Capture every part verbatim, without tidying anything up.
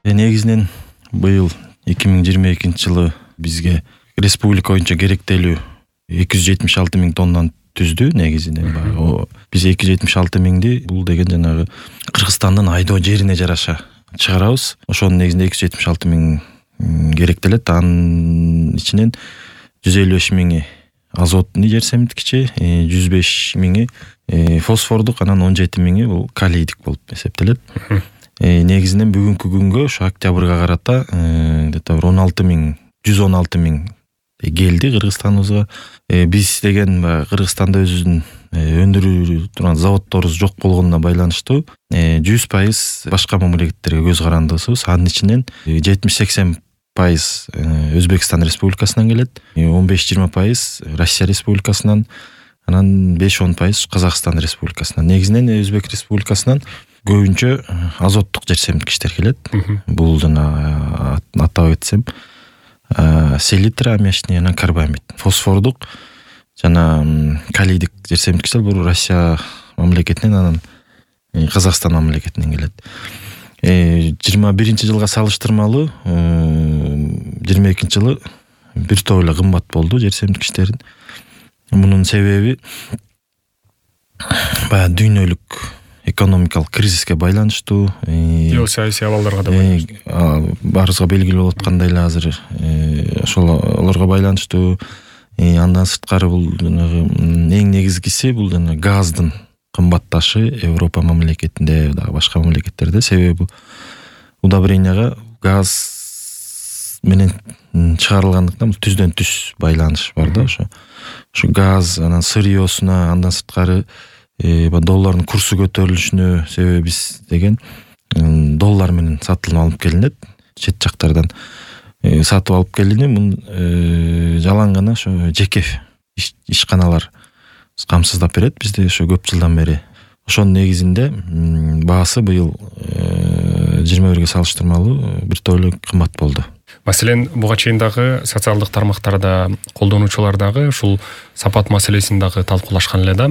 Негизинен быйыл эки миң жыйырма экинчи жылы бизге республика боюнча керектелүү эки жүз жетимиш алты миң тоннаны түздү. Негизинен баягы биз эки жүз жетимиш алты миңди бул деген жанагы Кыргызстандын айдоо жерине жараша чыгарабыз. Ошонун негизинде эки жүз жетимиш алты миң керектелет. Анын ичинен жүз элүү беш миңи азотный жер семирткичи, жүз беш миңи фосфордук, анан он жети миңи бул калийдик болуп эсептелет. Негизинен бүгүнкү күнгө ошо октябрга карата где-то он алты миң, жүз он алты миң келди Кыргызстаныбызга. Биз деген Кыргызстанда өзүбүздүн өндүрүү турган заводдорубуз жок болгонуна байланыштуу жүз пайыз башка мамлекеттерге көз карандыбыз. Анын ичинен жетимиш сексен пайыз Өзбекстан Республикасынан келет, он беш жыйырма пайыз Россия Республикасынан, анан беш он пайыз Казакстан Республикасынан. Негизинен Өзбек Республикасынан көбүнчө азоттук жер семирткичтер келет. Бул жана атап айтсам селитра, аммиачный, анан карбамид. Фосфордук жана калийдик жер семирткичтер бул Россия мамлекетинен, анан Казакстан мамлекетинен келет. жыйырма биринчи жылга салыштырмалуу жыйырма экинчи жылы бир топ эле кымбат болду жер семирткичтерин. Мунун себеби баягы дүйнөлүк экономикалык кризиске байланыштуу, геосаясий абалдарга да байланыштуу. Баарыбызга белгилүү болуп аткандай эле азыр ошолорго байланыштуу. Андан сырткары бул жанагы эң негизгиси бул жана газдын кымбатташы Европа мамлекетинде, дагы башка мамлекеттерде. Себеби удобренияга газ менен чыгарылгандыктан түздөн түз байланыш бар да. Ошо ошо газ, анан сырьёсуна, андан сырткары доллардын курсу көтөрүлүшүнө себеби биз деген доллар менен сатылып алып келинет, чет жактардан сатып алып келинет. Мун жалаң гана ошо жеке ишканалар камсыздап берет бизди ошо көп жылдан бери. Ошонун негизинде баасы быйыл жыйырма бирге салыштырмалуу бир топ эле кымбат болду. Маселен, буга чейин дагы социалдык тармактарда колдонуучулар дагы ушул сапат маселесин дагы талкуулашкан эле да.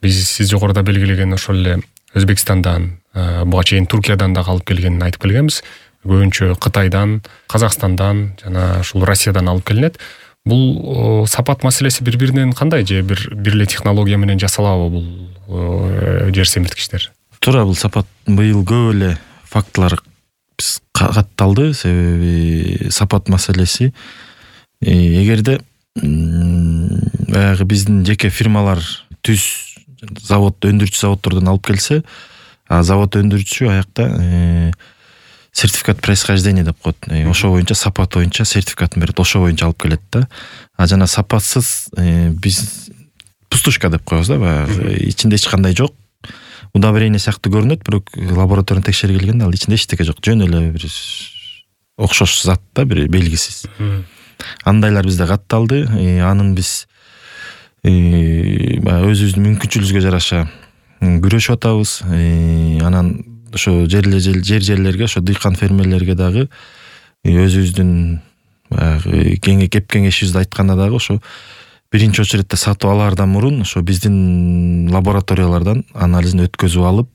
Биз сиз жогоруда белгилеген ошол эле Өзбекстандан, буга чейин Туркиядан дагы алып келгенин айтып келгенбиз. Көбүнчө Кытайдан, Казакстандан жана ушул Россиядан алып келинет. Бул сапат маселеси бири-биринен кандай, же бир бир эле технология менен жасалабы бул жер семирткичтер? Туура, бул сапат быйыл көп эле фактылар биз катталды. Себеби сапат маселеси эгерде баягы биздин жеке фирмалар түз завод, өндүрүүчү заводдордон алып келсе, а завод өндүрүүчү аякта сертификат происхождения деп коет. Ошо боюнча, сапат боюнча сертификатын берет, ошо боюнча алып келет да. А жана сапатсыз биз пустушка деп коебуз да, баягы ичинде эч кандай жок. Удобрение сыяктуу көрүнөт, бирок лабораторияны текшергенде ал ичинде эчтеке жок. Жөн эле бир окшош зат да, бир белгисиз. Андайлар бизде катталды. Анын биз баягы өзүбүздүн мүмкүнчүлүгүбүзгө жараша күрөшүп атабыз. Анан ошо жер-жерлерге, ошо дыйкан фермерлерге дагы өзүбүздүн баягы кеп кеңешибизди айтканда дагы ошо биринчи очередде сатып алаардан мурун ошо биздин лабораториялардан анализин өткөзүп алып,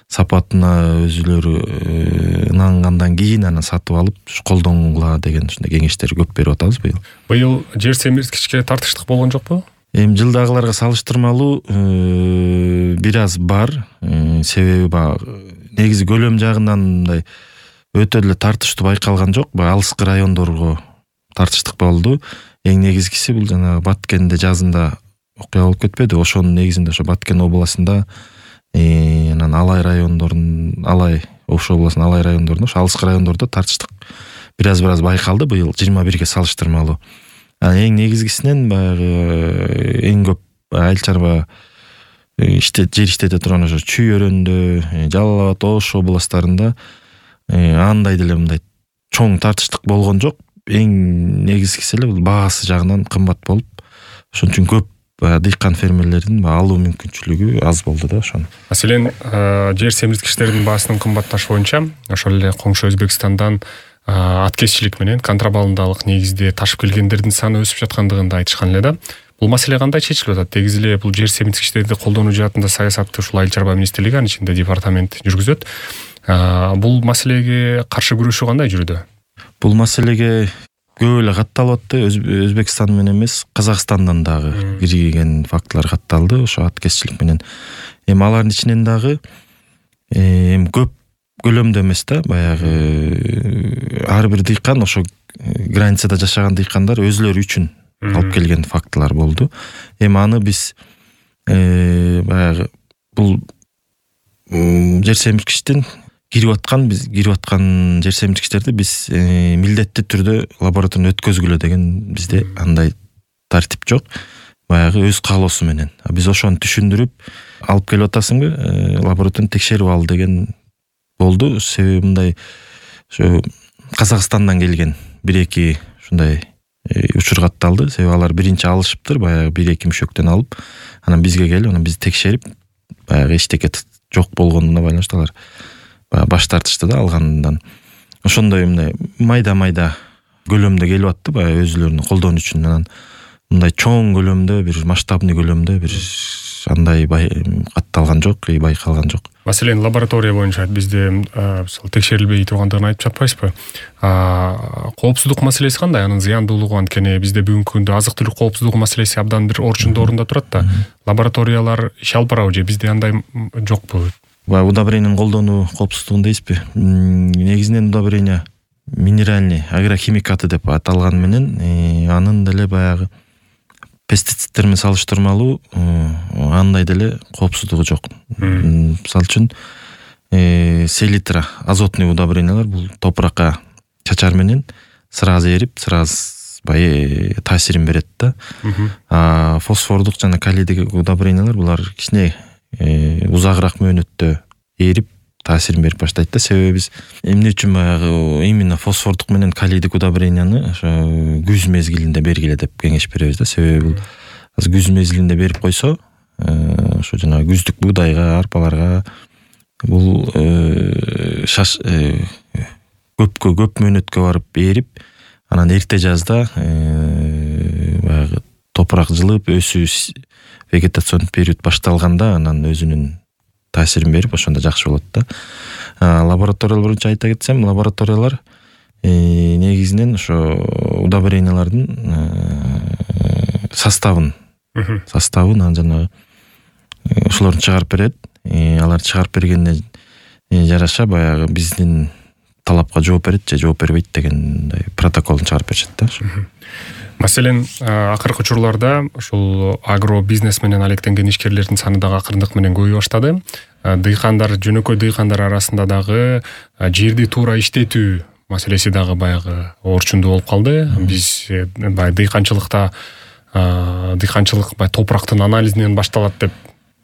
сапатына өзүлөрү ынангандан кийин анан сатып алып колдонгула деген ушундай кеңештер көп берип атабыз быйыл. Быйыл жер семирткичке тартыштык болгон жокпу? Эми жылдагыларга салыштырмалуу бир аз бар. Себеби баягы негизи көлөм жагынан мындай өтө эле тартыштуу байкалган жок. Баягы алыскы райондорго тартыштык болду. Эң негизгиси бул жана Баткенде жазында окуя болуп кетпеди. Ошонун негизинде ошо Баткен областында, анан Алай райондорунун, Алай Ош областынын Алай райондорунда, ошо алыскы райондордо тартыштык бир аз бир аз байкалды быйыл жыйырма бирге салыштырмалуу. Эң негизгисинен баягы эң көп айыл чарба иштет, жер иштете турган ошо Чүй өрөндө, Жалал Абад, Ош областарында андай деле мындай чоң тартыштык болгон жок. Эң негизгиси эле бул баасы жагынан кымбат болуп, ошон үчүн көп дыйкан фермерлердин алуу мүмкүнчүлүгү аз болду да ошону. Маселен, жер семирткичтердин баасынын кымбатташы боюнча ошол эле коңшу Өзбекстандан аткезчилик менен контрабандалык негизде ташып келгендердин саны өсүп жаткандыгын да айтышкан эле да. Бул маселе кандай чечилип атат? Негизи эле бул жер семирткичтерди колдонуу жаатында саясатты ушул Айыл чарба министрлиги, анын ичинде департамент жүргүзөт. Бул маселеге каршы күрөшүү кандай жүрүүдө? Бул маселеге көп эле катталып атты. Өзбекстан менен эмес, Казакстандан дагы кирген фактылар катталды ошо аткезчилик менен. Эми алардын ичинен дагы эми көп көлөмдө эмес да, баягы ар бир дыйкан, ошо границада жашаган дыйкандар өзүлөрү үчүн алып келген фактылар болду. Эми аны биз баягы бул жер семирткичтин кирип аткан биз кирип аткан жер семирткичтерди биз милдеттүү түрдө лабораториядан өткөзгүлө деген бизде андай тартип жок. Баягы өз каалоосу менен. Биз ошону түшүндүрүп, алып келип атасыңбы, лабораториядан текшерип ал деген болду. Себеби мындай ошо Казакстандан келген бир эки ушундай учур катталды. Себеби алар биринчи алышыптыр, баягы бир эки мüşөктөн алып, анан бизге келип, анан бизди текшерип, баягы эчтеке жок болгонуна байланыштуу алар баягы баш тартышты да алгандан. Ошондой мындай майда-майда көлөмдө келип атты, баягы өзүлөрүнүн колдонуу үчүн. Анан мындай чоң көлөмдө, бир масштабный көлөмдө бир андай катталган жок, байкалган жок. Маселен, лаборатория боюнча бизде мисалы текшерилбей тургандыгын айтып жатпайсызбы? Коопсуздук маселеси кандай? Анын зыяндуулугу анткени бизде бүгүнкү күндө азык-түлүк коопсуздугу маселеси абдан бир орчундуу орунда турат да. Лабораториялар иш алып барабы же бизде андай жокпу? Баягы удобрениянын колдонуу коопсуздугун дейсизби? Негизинен удобрения минеральный агрохимикаты деп аталган менен анын деле баягы пестициддер менен салыштырмалуу андай деле коопсуздугу жок. Мисалы үчүн селитра, азотный удобрениялар бул топуракка чачар менен сразу эрип, сразу бай таасирин берет да. А фосфордук жана калийдик удобрениялар булар кичине узагыраак мөөнөттө эрип таасирин берип баштайт да. Себеби биз эмне үчүн баягы именно фосфордук менен калийдик удобренияны ошо күз мезгилинде бергиле деп кеңеш беребиз да. Себеби бул азыр күз мезгилинде берип койсо, ошо жанагы күздүк буудайга, арпаларга бул шаш көпкө көп мөөнөткө барып эрип, анан эрте жазда баягы топурак жылып, өсүү вегетационный период башталганда анан өзүнүн таасирин берип, ошондо жакшы болот да. Лабораториялар боюнча айта кетсем, лабораториялар негизинен ошо удобрениялардын составын составын анан жанагы ошолорду чыгарып берет. Алар чыгарып бергенине жараша баягы биздин талапка жооп берет же жооп бербейт деген протоколун чыгарып беришет да. Маселен, акыркы учурларда ушул агро бизнес менен алектенген ишкерлердин саны дагы акырындык менен көбөйө баштады. Дыйкандар, жөнөкөй дыйкандар арасында дагы жерди туура иштетүү маселеси дагы баягы орчундуу болуп калды. Биз баягы дыйканчылыкта дыйканчылык баягы топурактын анализинен башталат деп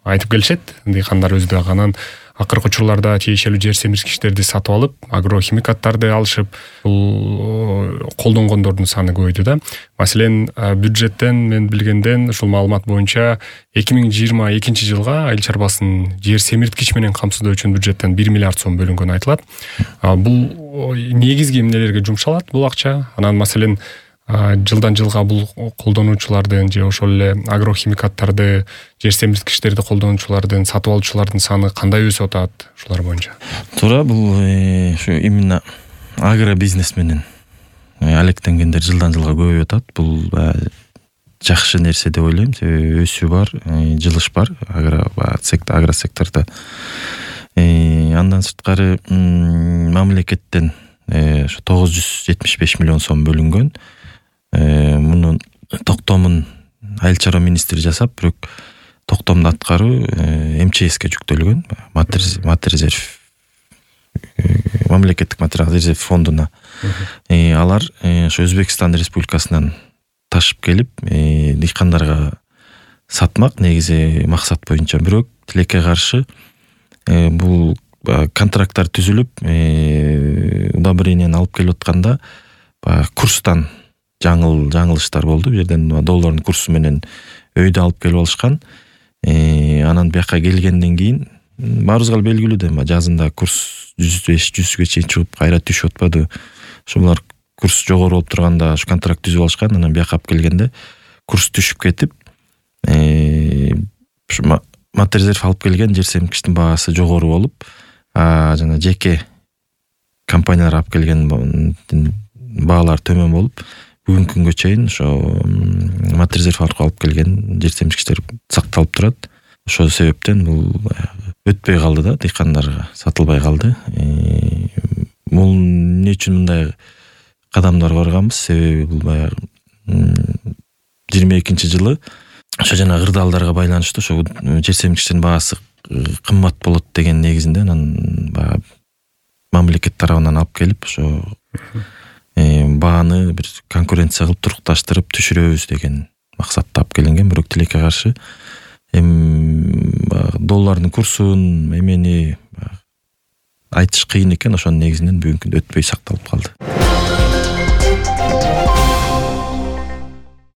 айтып келишет. Дыйкандар өзү дагы анан акыркы учурларда тиешелүү жер семирткичтерди сатып алып, агрохимикаттарды алышып, бул колдонгондордун саны көбөйдү да. Маселен, бюджеттен мен билгенден ушул маалымат боюнча эки миң жыйырма экинчи жылга айыл чарбасын жер семирткич менен камсыздоо үчүн бюджеттен бир миллиард сом бөлүнгөнү айтылат. Бул негизги эмнелерге жумшалат бул акча? Анан маселен, жылдан жылга бул колдонуучулардын же ошол эле агрохимикаттарды, жер семирткичтерди колдонуучулардын, сатып алуучулардын саны кандай өсүп атат ушулар боюнча? Туура, бул ушу именно агро бизнес менен алектенгендер жылдан жылга көбөйүп атат. Бул жакшы нерсе деп ойлойм. Себеби өсүү бар, жылыш бар агро агро сектордо. Андан сырткары мамлекеттен ошо тогуз жүз жетимиш беш миллион сом бөлүнгөн. Мунун токтомун айыл чарба министри жасап, бирок токтомду аткаруу эм че эске жүктөлгөн. Материал мамлекеттик материал резерв фондуна. Алар ошо Өзбекстан Республикасынан ташып келип, дыйкандарга сатмак негизи максат боюнча. Бирок тилекке каршы бул контракттар түзүлүп, удобренияны алып келип атканда курстан жаңыл жаңылыштар болду. Бу жерден доллардын курсу менен өйдө алып келип алышкан. Анан бияка келгенден кийин баарыбызга белгилүү да, жазында курс жүз беш жүзгө чейин чыгып кайра түшүп атпады. Ошолар курс жогору болуп турганда ушу контракт түзүп алышкан. Анан бияка алып келгенде курс түшүп кетип, ушу материал алып келген жер семирткичтин баасы жогору болуп, а жана жеке компаниялар алып келген баалар төмөн болуп, бүгүнкү күнгө чейин ошо Матрезерв аркылуу алып келген жер семчкичтер сакталып турат. Ошол себептен бул өтпөй калды да, дыйкандарга сатылбай калды. Бул эмне үчүн мындай кадамдар барганбыз? Себеби бул баягы жыйырма экинчи жылы ошо жана кырдаалдарга байланыштуу ошо жер семчкичтердин баасы кымбат болот деген негизинде анан баягы мамлекет тарабынан алып келип ошо бааны бир конкуренция кылып турукташтырып түшүрөбүз деген максатта алып келинген. Бирок тилекке каршы эми доллардын курсун эмени айтыш кыйын экен. Ошонун негизинен бүгүнкү күндө өтпөй сакталып калды.